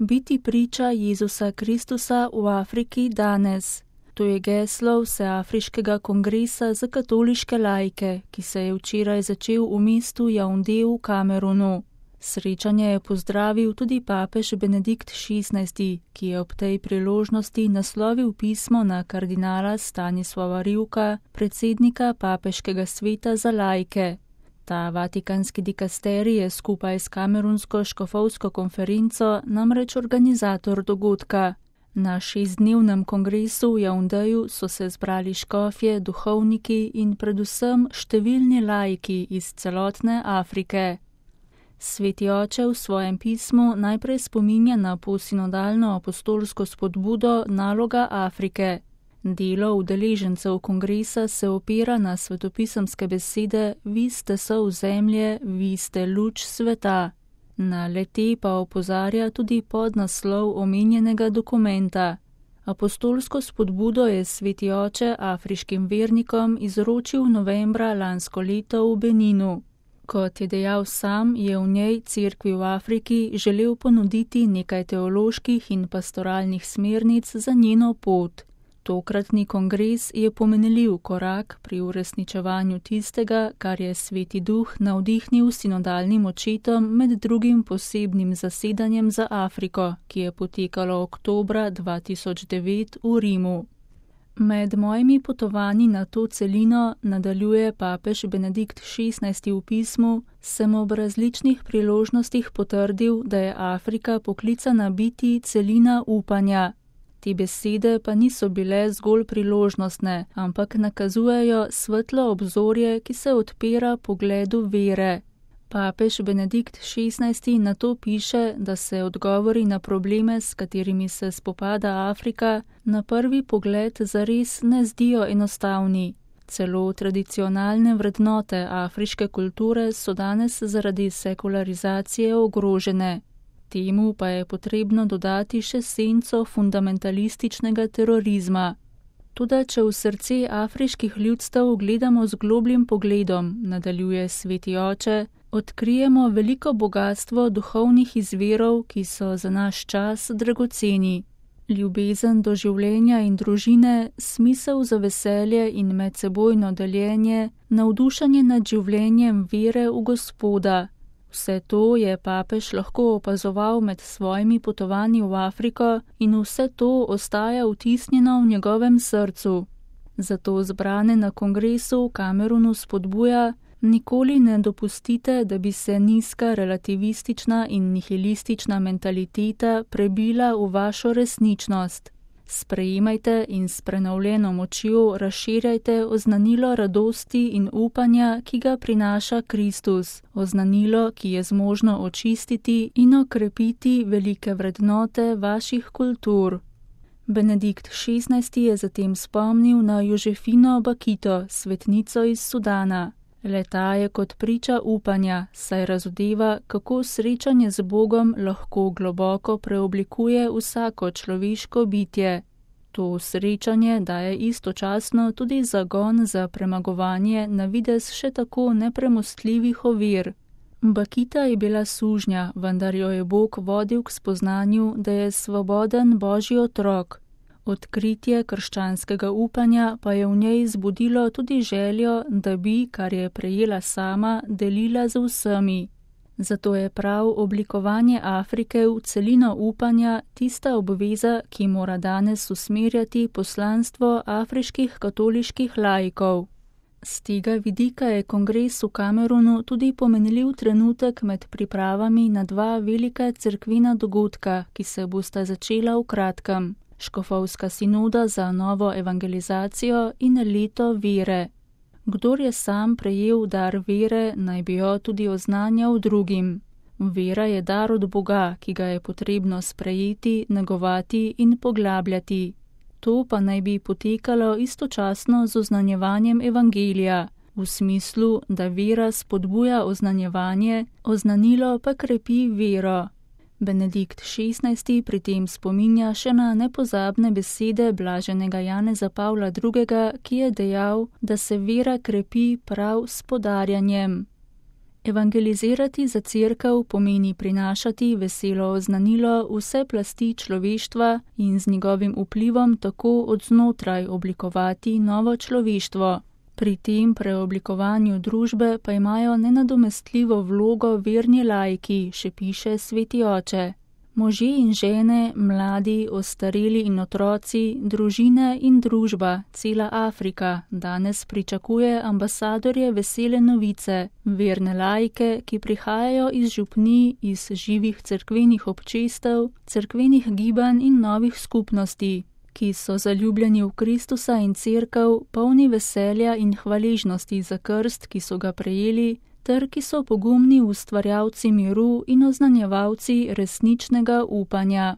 Biti priča Jezusa Kristusa v Afriki danes. To je geslo Vseafriškega kongresa za katoliške laike, ki se je včeraj začel v mestu Jaunde v Kamerunu. Srečanje je pozdravil tudi papež Benedikt XVI, ki je ob tej priložnosti naslovil pismo na kardinala Stanislava Rivka, predsednika papeškega sveta za laike. Ta vatikanski dikasterij je skupaj s kamerunsko škofovsko konferenco namreč organizator dogodka. Na 6-dnevnem kongresu v Jaundeju so se zbrali škofje, duhovniki in predvsem številni laiki iz celotne Afrike. Sveti oče v svojem pismu najprej spominja na posinodalno apostolsko spodbudo Naloga Afrike. Delo udeležencev kongresa se opira na svetopisemske besede Vi ste sol zemlje, vi ste luč sveta. Na le-te pa opozarja tudi podnaslov omenjenega dokumenta. Apostolsko spodbudo je sveti oče afriškim vernikom izročil novembra lansko leto v Beninu. Kot je dejal sam, je v njej cerkvi v Afriki želel ponuditi nekaj teoloških in pastoralnih smernic za njeno pot. Tokratni kongres je pomenljiv korak pri uresničevanju tistega, kar je Sveti Duh navdihnil sinodalnim očetom med drugim posebnim zasedanjem za Afriko, ki je potekalo oktobra 2009 v Rimu. Med mojimi potovanji na to celino, nadaljuje papež Benedikt XVI v pismu, sem ob različnih priložnostih potrdil, da je Afrika poklicana biti celina upanja. Te besede pa niso bile zgolj priložnostne, ampak nakazujejo svetlo obzorje, ki se odpira pogledu vere. Papež Benedikt XVI na to piše, da se odgovori na probleme, s katerimi se spopada Afrika, na prvi pogled zares ne zdijo enostavni. Celo tradicionalne vrednote afriške kulture so danes zaradi sekularizacije ogrožene. Temu pa je potrebno dodati še senco fundamentalističnega terorizma. Toda če v srce afriških ljudstev gledamo z globljim pogledom, nadaljuje sveti oče, odkrijemo veliko bogatstvo duhovnih izvirov, ki so za naš čas dragoceni. Ljubezen do življenja in družine, smisel za veselje in medsebojno deljenje, navdušenje nad življenjem vere v Gospoda. Vse to je papež lahko opazoval med svojimi potovanji v Afriko in vse to ostaja vtisnjeno v njegovem srcu. Zato zbrane na kongresu v Kamerunu spodbuja, nikoli ne dopustite, da bi se nizka relativistična in nihilistična mentaliteta prebila v vašo resničnost. Sprejemajte in s prenovljeno močjo razširjajte oznanilo radosti in upanja, ki ga prinaša Kristus, oznanilo, ki je zmožno očistiti in okrepiti velike vrednote vaših kultur. Benedikt XVI je zatem spomnil na Jožefino Bakito, svetnico iz Sudana. Le-ta je kot priča upanja, saj razodeva, kako srečanje z Bogom lahko globoko preoblikuje vsako človeško bitje. To srečanje daje istočasno tudi zagon za premagovanje na videz še tako nepremostljivih ovir. Bakita je bila sužnja, vendar jo je Bog vodil k spoznanju, da je svoboden Božji otrok. Odkritje krščanskega upanja pa je v njej zbudilo tudi željo, da bi, kar je prejela sama, delila z vsemi. Zato je prav oblikovanje Afrike v celino upanja tista obveza, ki mora danes usmerjati poslanstvo afriških katoliških laikov. Z tega vidika je kongres v Kamerunu tudi pomenljiv trenutek med pripravami na dva velika cerkvena dogodka, ki se bosta začela v kratkem. Škofovska sinoda za novo evangelizacijo in leto vere. Kdor je sam prejel dar vere, naj bi jo tudi oznanjal drugim. Vera je dar od Boga, ki ga je potrebno sprejeti, negovati in poglabljati. To pa naj bi potekalo istočasno z oznanjevanjem evangelija, v smislu, da vera spodbuja oznanjevanje, oznanilo pa krepi vero. Benedikt XVI pri tem spominja še na nepozabne besede blaženega Janeza Pavla II, ki je dejal, da se vera krepi prav s podarjanjem. Evangelizirati za cerkev pomeni prinašati veselo oznanilo vse plasti človeštva in z njegovim vplivom tako od znotraj oblikovati novo človeštvo. Pri tem preoblikovanju družbe pa imajo nenadomestljivo vlogo verni laiki, še piše Sveti oče. Možje in žene, mladi, ostareli in otroci, družine in družba, cela Afrika danes pričakuje ambasadorje vesele novice, verne laike, ki prihajajo iz župnij, iz živih cerkvenih občestev, cerkvenih gibanj in novih skupnosti, ki so zaljubljeni v Kristusa in cerkev, polni veselja in hvaležnosti za krst, ki so ga prejeli, ter ki so pogumni ustvarjalci miru in oznanjevalci resničnega upanja.